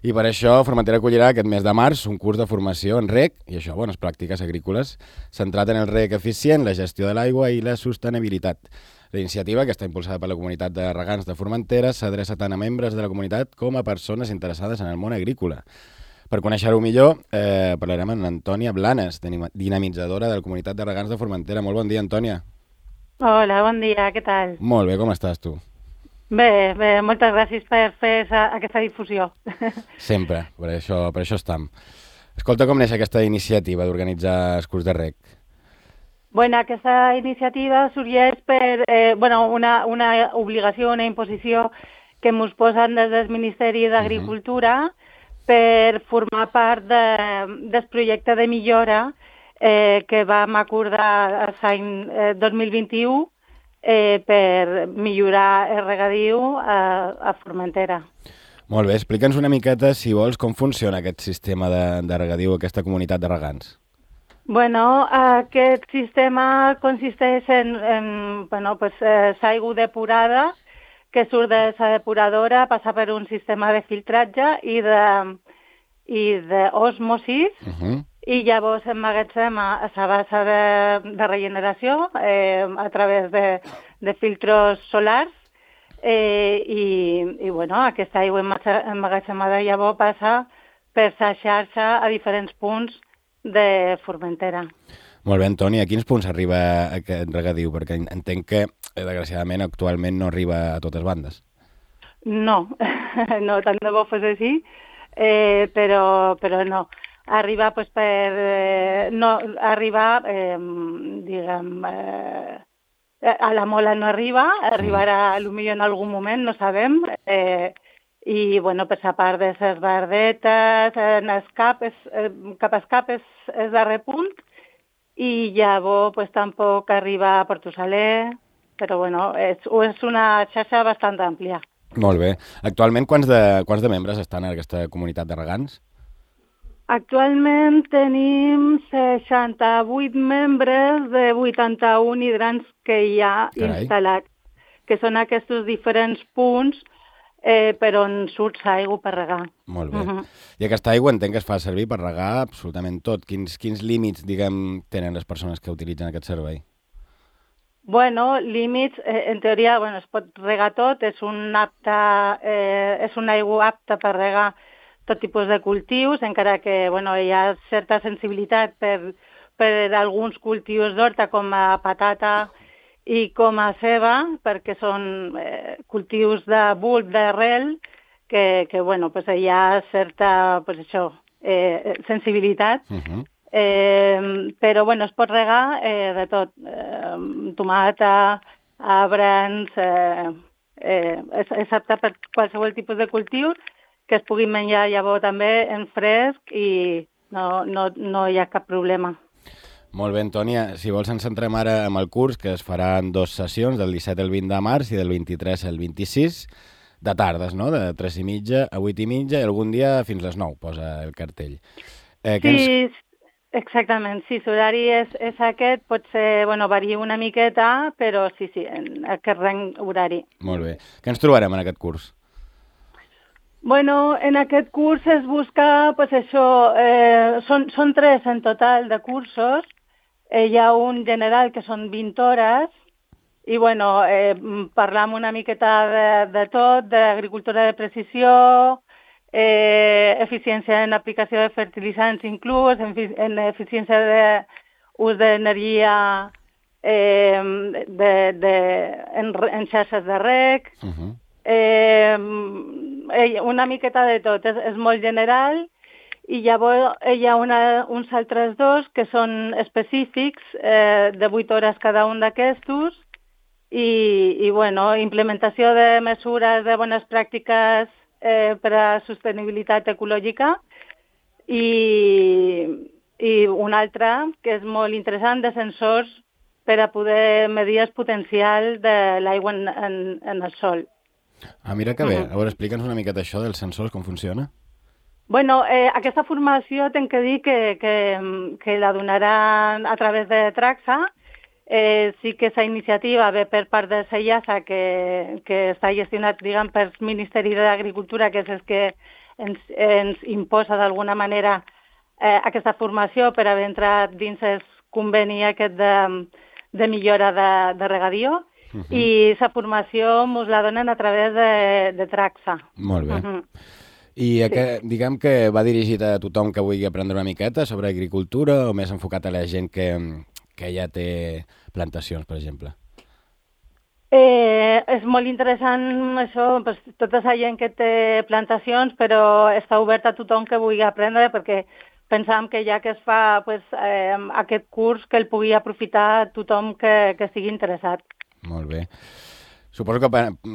I per això Formentera acollirà aquest mes de març un curs de formació en reg, i això, bones pràctiques agrícoles, centrat en el reg eficient, la gestió de l'aigua i la sostenibilitat. La iniciativa, que està impulsada per la comunitat de regants de Formentera, s'adreça tant a membres de la comunitat com a persones interessades en el món agrícola. Per conèixer-ho millor, parlarem amb Antònia Blanes, dinamitzadora de la comunitat de regants de Formentera. Molt bon dia, Antònia. Hola, bon dia, què tal? Molt bé, com estàs tu? Bé, moltes gràcies per fer aquesta difusió. Sempre, per això estam. Escolta, com neix aquesta iniciativa d'organitzar el curs de reg? Bueno, aquesta iniciativa sorgeix per una obligació, una imposició que ens posen des del Ministeri d'Agricultura per formar part del projecte de millora que vam acordar l'any 2021 per millorar el regadiu a Formentera. Molt bé, explica'ns una miqueta, si vols, com funciona aquest sistema de regadiu, aquesta comunitat de regants. Bueno, aquest sistema consisteix en l'aigua depurada que surt de la depuradora, passa per un sistema de filtratge i d'osmosis, i llavors emmagatzema a la base de regeneració a través de filtros solars i aquesta aigua emmagatzemada llavors passa per la xarxa a diferents punts de Formentera. Molt bé, Antònia, a quins punts arriba aquest regadiu? Perquè entenc que, desgraciadament, actualment no arriba a totes bandes. No, no, tant de bo fos així, però no. Arriba a la Mola no arribarà potser en algun moment, no sabem, i per la part de les Verdetes, cap a escap és el darrer punt, i llavors tampoc arriba a Portosaler, però és una xarxa bastant àmplia. Molt bé. Actualment, quants de membres estan en aquesta comunitat de regants? Actualment tenim 68 membres de 81 hidrants que hi ha instal·lats, que són aquests diferents punts per on surt l'aigua per regar. Molt bé. I aquesta aigua entenc que es fa servir per regar absolutament tot. Quins límits, diguem, tenen les persones que utilitzen aquest servei? Bueno, límits, en teoria, es pot regar tot, és una aigua apta per regar tot tipus de cultius, encara que hi ha certa sensibilitat per alguns cultius d'horta com a patata i com a ceba, perquè són cultius de bulb, d'arrel, que hi ha certa sensibilitat, però es pot regar de tot, tomata, arbrans, és apte per qualsevol tipus de cultiu, que es pugui menjar llavors també en fresc i no hi ha cap problema. Molt bé, Antònia. Si vols ens centrem ara en el curs, que es farà en 2 sessions, del 17 al 20 de març i del 23 al 26, de tardes, no? De 3:30 a 8:30 i algun dia fins les 9, posa el cartell. Sí, exactament. Sí, l'horari és aquest, potser varia una miqueta, però sí, en aquest rang horari. Molt bé. Què ens trobarem en aquest curs? En aquest curs es busca, són 3 en total de cursos. Hi ha un general que són 20 hores i parlam una miqueta de tot, d'agricultura de precisió, eficiència en aplicació de fertilitzants inclús, en eficiència d'ús d'energia en xarxes de reg, una miqueta de tot, és molt general, i llavors hi ha uns altres 2 que són específics, de 8 hores cada un d'aquestos, i implementació de mesures de bones pràctiques per a sostenibilitat ecològica, i un altre, que és molt interessant, de sensors per a poder medir el potencial de l'aigua en el sòl. Mira que bé. A veure, explica'ns una miqueta això dels sensors, com funciona. Aquesta formació tinc que dir que la donaran a través de Traxa. Sí que aquesta iniciativa ve per part de SEIASA, que està gestionat, pel Ministeri d'Agricultura, que és el que ens imposa d'alguna manera aquesta formació per haver entrat dins el conveni aquest de millora de regadió, i la formació ens la donen a través de Traxa. Molt bé. I diguem que va dirigit a tothom que vulgui aprendre una miqueta sobre agricultura o més enfocat a la gent que ja té plantacions, per exemple? És molt interessant això, pues, tota la gent que té plantacions, però està obert a tothom que vulgui aprendre, perquè pensàvem que ja que es fa aquest curs, que el pugui aprofitar tothom que estigui interessat. Molt bé. Suposo que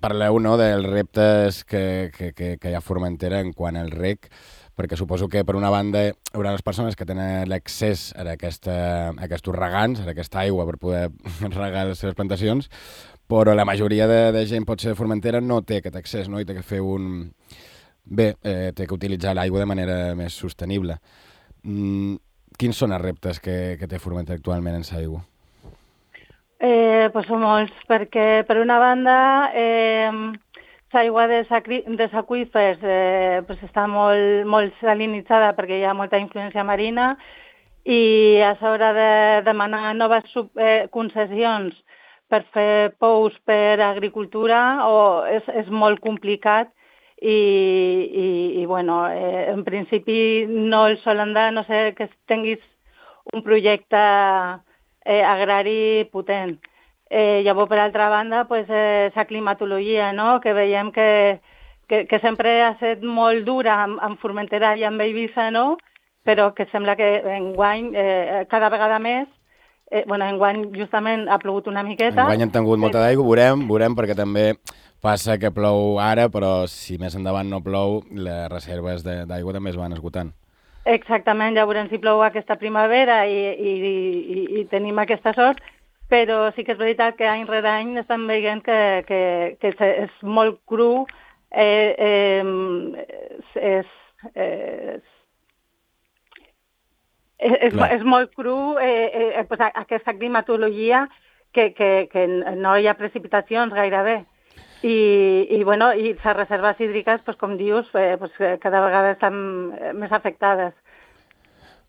parleu, no, dels reptes que hi ha a Formentera en quant al reg, perquè suposo que per una banda hi haurà les persones que tenen l'accés a aquests regants, a aquesta aigua per poder regar les seves plantacions, però la majoria de gent, potser de Formentera, no té aquest accés, no? I té que fer té que utilitzar l'aigua de manera més sostenible. Quins són els reptes que té Formentera actualment en l'aigua? Pues són molts, perquè per una banda l'aigua dels aqüífers pues està molt salinitzada perquè hi ha molta influència marina, i a l'hora de demanar noves concessions per fer pous per agricultura és molt complicat, i bueno, en principi no el solen dar, no sé, que tinguis un projecte agrari potent. Llavors, per altra banda, pues, la climatologia, no? Que veiem que sempre ha estat molt dura en Formentera i en Eivissa, no? Però que sembla que enguany, cada vegada més, enguany justament ha plogut una miqueta. Enguany han tingut molta d'aigua, veurem, perquè també passa que plou ara, però si més endavant no plou, les reserves d'aigua també es van esgotant. Exactament, ja veurem si plou aquesta primavera i tenim aquesta sort, però sí que és veritat que any rere any estem veient que és molt cru, és molt cru aquesta climatologia que no hi ha precipitacions gairebé. I les reserves hídriques, pues, com dius, cada vegada estan més afectades.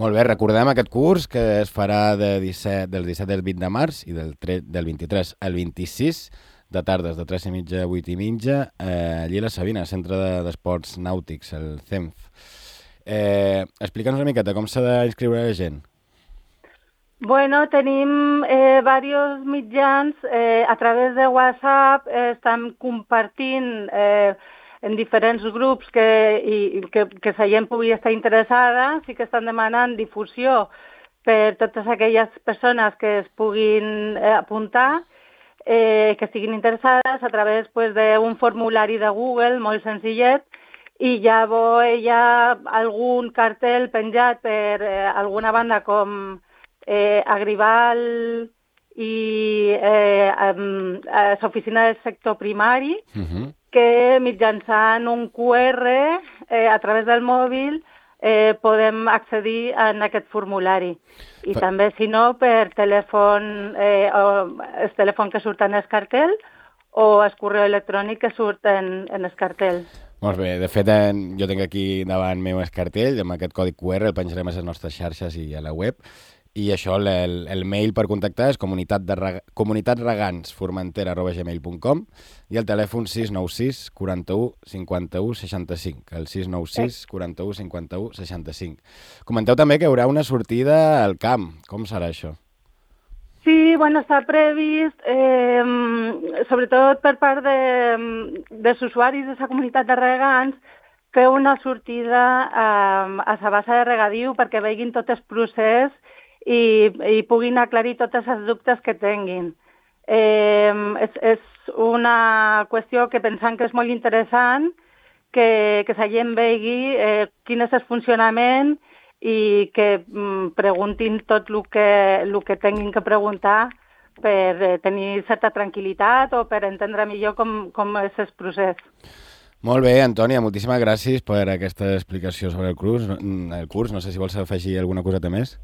Molt bé, recordem aquest curs que es farà del 17 al 20 de març i del 23 al 26 de tardes, de 3:30 a 8:30, allí a la Sabina, Centre d'Esports Nàutics, el CEMF. Explica'ns una miqueta com s'ha d'inscriure la gent. Bueno, tenim diversos mitjans, a través de WhatsApp estem compartint en diferents grups que la gent pugui estar interessada, sí que estan demanant difusió per totes aquelles persones que es puguin apuntar, que estiguin interessades a través d'un formulari de Google molt senzillet, i llavors hi ha algun cartell penjat per alguna banda com Agrival i l'oficina del sector primari, que mitjançant un QR a través del mòbil podem accedir a aquest formulari. I també, si no, per telèfon, el telèfon que surt en el cartell o el correu electrònic que surt en el cartell. Molt bé, de fet jo tinc aquí davant meu el cartell, amb aquest codi QR el penjarem a les nostres xarxes i a la web. I això, el mail per contactar és comunitatregansformentera@gmail.com i el telèfon 696 41 51 65, el 696 41 51 65. Comenteu també que hi haurà una sortida al camp. Com serà això? Sí, està previst, sobretot per part dels usuaris de la comunitat de regants, fer una sortida a la base de regadiu perquè vegin tot el procés i puguin aclarir tots els dubtes que tinguin. És una qüestió que pensem que és molt interessant, que la gent vegi quin és el funcionament i que preguntin tot el que tinguin que preguntar per tenir certa tranquil·litat o per entendre millor com és el procés. Molt bé, Antònia, moltíssimes gràcies per aquesta explicació sobre el curs. No sé si vols afegir alguna coseta més.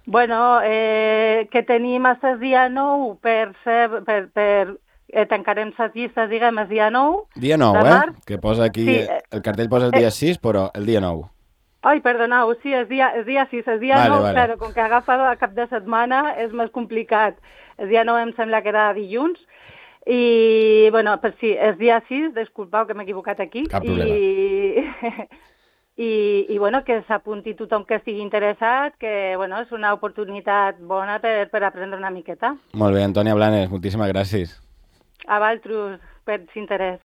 Que tenim fins el dia 9 per tancarem les llistes, diguem, el dia 9 Dia 9, de març. Que posa aquí, Sí, el cartell posa el dia 6, però el dia 9. Ai, perdoneu, sí, el dia 6, el dia Vale, 9, vale. claro, com que agafa a cap de setmana és més complicat. El dia 9 em sembla que era dilluns, i, bueno, pues sí, el dia 6, disculpeu que m'he equivocat aquí. Cap problema. I bueno, que s'apunti tothom que estigui interessat, que, bueno, és una oportunitat bona per aprendre una miqueta. Molt bé, Antònia Blanes, moltíssimes gràcies. A vosaltres, per l'interès.